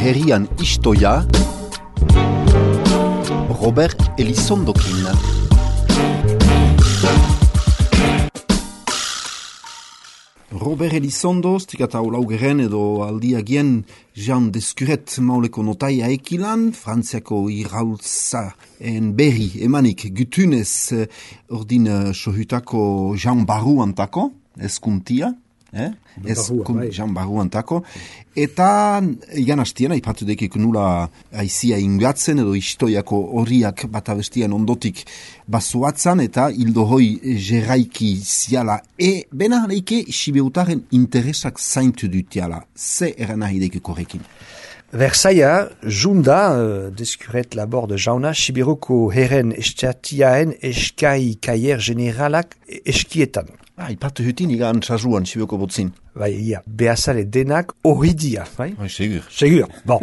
herrian istoia Robert Elizondokin. Robert Elizondo, stikata olaugeren edo aldiagien Jean Descuret mauleko notaia ekilan, Frantziako iraultza en berri emanik gutunez ordin sohutako Jean Barru antako, eskuntia, Jean Barru antako, eta igan hastiena ipatu dekik nula aizia ingatzen edo istoiako horiak bat abestian ondotik basuatzan eta hildo hoi jeraiki ziala bena leike sibeutaren interesak zaintu dutiala. Ze erana hideke korrekin? Versailles, junda, Descuret labor de jauna, Sibiroko herren estatiaen eskai kaier generalak eskietan. Ipatu hutin igan txazuan Sibiroko botzin. Bai, ia, behazale denak horidia, bai? Segur. Segur, bon.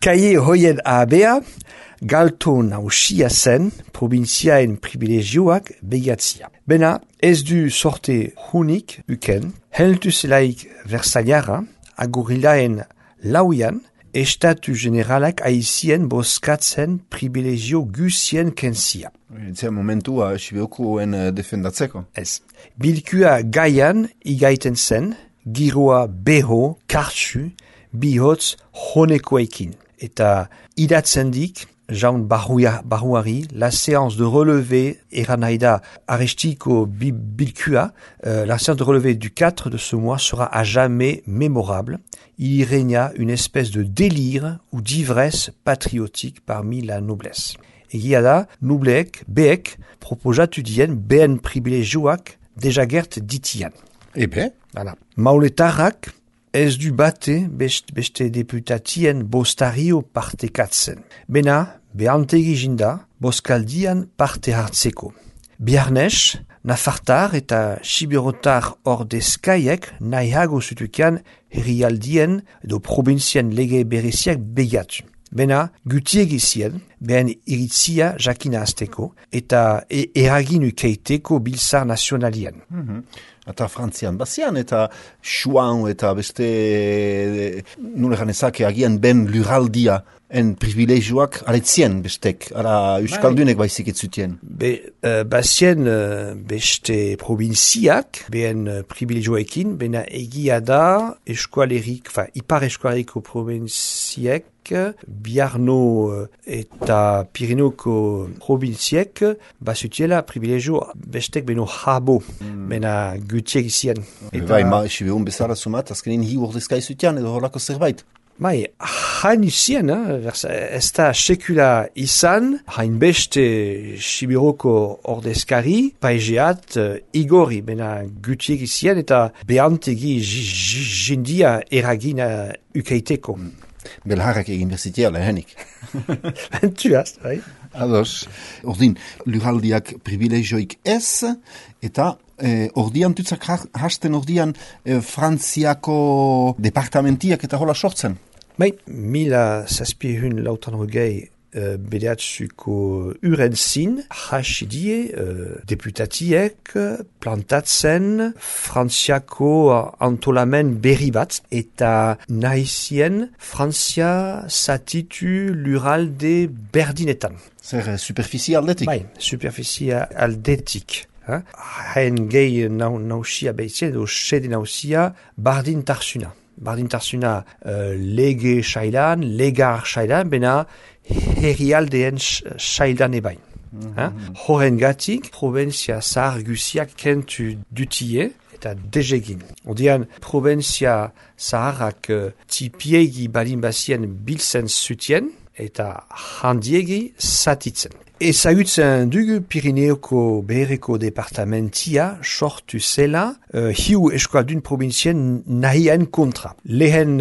Kaie hoien abea, galto nausia zen, provinziaen privilegioak begatzia. Bena, ez du sorte hunik uken, heltu zelaik Versaillara, agurilaen lauian, estatu generalak aizien boskatzen privilegio gusien kensia. Etzea momentua Sibiokoen defendatzeko. Ez. Bilkua gaian igaiten zen, giroa beho, kartsu, bihotz honekoekin. Eta idatzendik, Jean Barruari, la séance de relevé eranaida arestiko bilkua, la séance de relevé du 4 de ce mois sera à jamais mémorable. Il y régna une espèce de délire ou d'ivresse patriotique parmi la noblesse. Egia da, nubleek, beek, proposatudien behen privilegioak deja gert ditian. Ebe? Voilà. Mauletarrak ez du bate beste deputatien bostario partekatzen. Bena, behantegi jinda, boskaldian parte hartzeko. Biarnes, nafartar eta sibirotar ordezkaiek nahiago zutukian herrialdien edo provinzien lege bereziak begatu. Bena, gutiegizien, behen iritzia jakina azteko, eta eragin ukeiteko biltzar nazionalien. Eta Frantzian bazian, eta Chouan, eta beste, nulegan ezake agian ben luraldia, en privilegioak aletzien bestek, ala euskaldunek baizik etzutien. Bazien beste provinziak, behen privilegioekin, bena egia da eskualerik, ipar eskualeriko provinziek, Biarno eta Pirinoko provinziek bazutiela privilegio bestek beno jabo, bena gutiek izien. Bai, sibeun bezala sumat, azkenin hi ordezkai zutian edo horlako zerbait. Bai, hain izien, ez da sekula izan, hain beste Sibiroko ordezkari, paizeat igori, bena gutiek izien eta behantegi jindia eragina ukeiteko. Belharrak egin bezitia lehenik. Bentuaz, bai? Ados, ordin, luraldiak privilegioik ez, eta ordian tutzak hasten ordian Frantziako departamentiak eta hola sortzen. Bai, 1783 bedeatzuko uren zin, hasidie deputatiek plantatzen Frantziako antolamen berri bat, eta nahizien Frantzia zatitu luralde berdinetan. Zer, superficie aldetik? Bai, superficie aldetik. Hain gehi nausia behitzen, edo sede nausia bardin tarsuna. Bardin tarsuna lege sailan, legar sailan, bena herrialdeen sailan ebain. Horren gatik, provinzia zahar guziak kentu dutie eta dezegin. Odean, provinzia zaharrak tipiegi balin bazien biltzen zutien eta handiegi zatitzen. Ezagutzen dugu Pirineoko behereko departamentia sortu zela hiu eskualdun provinzien nahien kontra. Lehen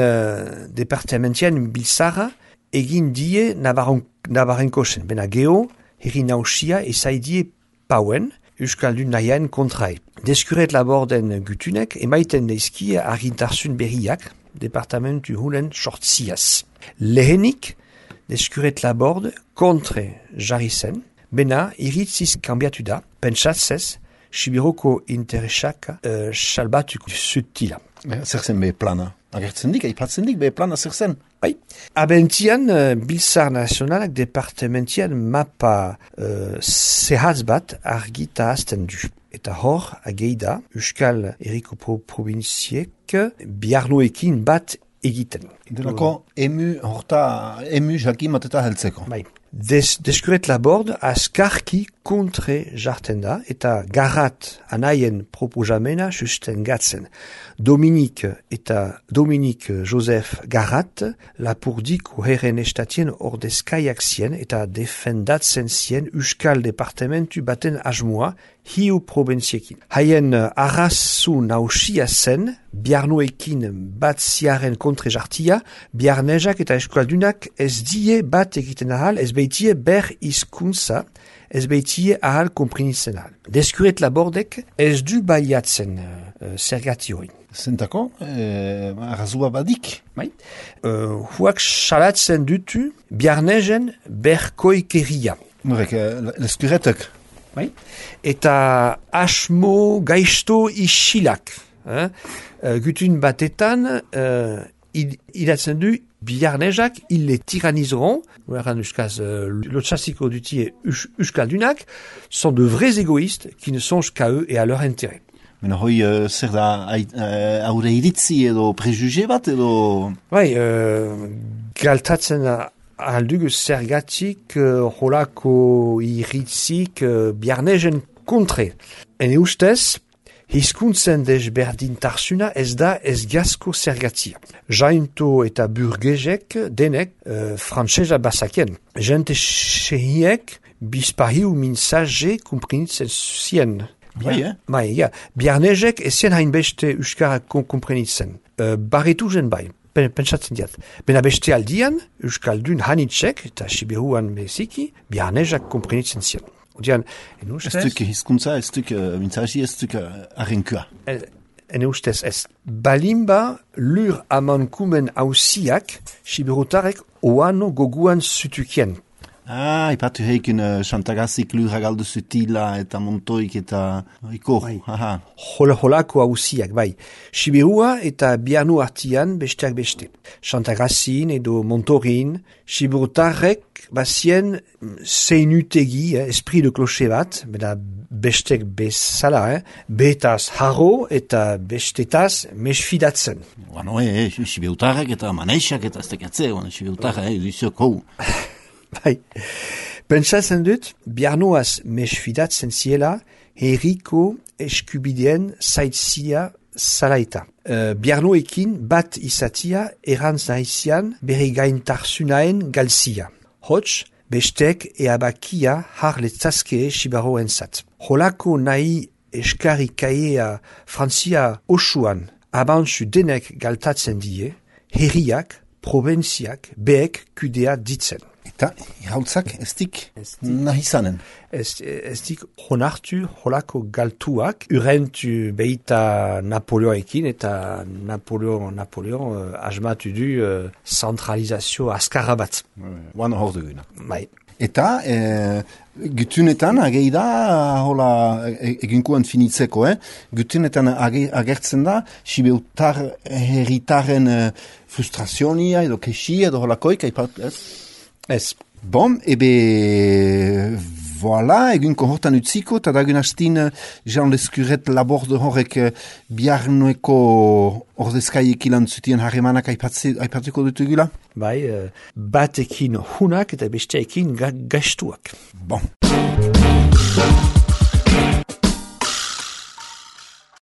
departamentien biltzara egin die Navarrenkosen. Bena geho, herri nausia ezaidie pauen euskaldun nahien kontrae. Descuret laborden gutunek emaiten neizkie argintarzun berriak departamentu hulen sortziaz. Lehenik, Descuret laborde kontre jarri zen, bena iritziz kanbiatu da, pentsatzez, Sibiroko interesak salbatuko zutila. Zer zen be plana? Agertzen dik, aipatzen dik, be plana zer zen. Bai. Abentian, Biltzar Nazionalak departementian mapa zehatz bat argita azten du. Eta hor, ageida, Euskal Herriko provinziek biarnoekin bat egiten. Delako emu jakimat eta heltzeko. Bai. Deskuret labord azkarki kontre jarten da eta garrat anaien proposamena sustengatzen. Dominik Joseph Garrat lapurdiko herren estatien ordezkaiak zien eta defendatzen zien Euskal Departamentu baten asmoa hiu provinziekin. Haien arrazu nausia zen biarnoekin bat ziaren kontre jartia, biarnezak eta eskualdunak ez die bat egiten ahal, ez beitie ber hizkuntza, ez beitie ahal komprenitzen ahal. Deskuret labordek ez du baliatzen zergati hori. Zentako, arrazua badik. Bai. Huak salatzen dutu biarnezen berkoikeria. Norek, leskuretek. Bai. Eta asmo gaizto isilak. Gutun batetan idatzen du biarnezak ils les tyranniseront, l'auchassiko dutie euskaldunak sont de vrais égoïstes qui ne songent qu'à eux et à leur intérêt. Mena hoi zer da aure iritzi edo prejuge bat edo... Bai, galtatzen aldugu zergatik holako iritzik biarnezen kontre. Ene ustez, hizkuntzen desberdintarsuna ez da ez gazko zergatia. Jainto eta burgezek denek frantsesa bazakien. Jente sehiek bizpahiu minsaje komprenitzen zien. Bai, ja. Biarnezek ezien hainbeste euskara komprenitzen. Barritu zen bai. Pentsatzen diat. Bena beste aldian, euskaldun hanitzek eta siberuan beziki, biarnezak komprenitzen zien. Odian, ez duk hizkuntza, ez duk mintzaji, ez duk arrenkua. Ene ustez ez. Balimba lur amankumen hausiak, siberutarek oano goguan zutukien. Ipatu heikin Xantagazik lura galdu zutila eta montoik eta ikor. Holako hausiak, bai. Siberua eta bianu artian besteak beste. Xantagazin edo montorin, siberutarrek bazien zeinutegi, esprit de cloche bat, beda bestek bezala, betaz harro eta bestetaz mesfidatzen. Bueno, siberutarrek eta maneixak eta ez tekatze, siberutarrek duzioko. Bai, pentsatzen dut, biarnoaz mesfidatzen ziela, herriko eskubideen zaitzia zalaita. Biarnoekin bat izatia erantz nahizian bere gaintarsunaen galzia. Hots, bestek eabakia har letzazke sibaroen zat. Holako nahi eskari kaea Frantzia osuan abantzu denek galtatzen die, herriak, provinziak, beek kudea ditzen. Eta irautzak ez dik nahi zanen. Ez dik honartu holako galtuak, urentu behita Napoleoekin eta Napoleon asmatu du centralizazio azkarra bat. Guan hor duguna. Bai. Eta gutunetan ageida hola eginkuan finitzeko, gutunetan agertzen da sibeutar herritaren frustrazionia edo kexia edo holakoik, ez? Ez. Bon, ebe, voilà, egunko hortan utziko, eta dagun hastin Jean Leskuret laborde horrek biarnoeko ordezkaiek ilan zutien harremanak aipatuko dutugula? Bai, batekin hunak eta besteekin gaiztuak. Bon.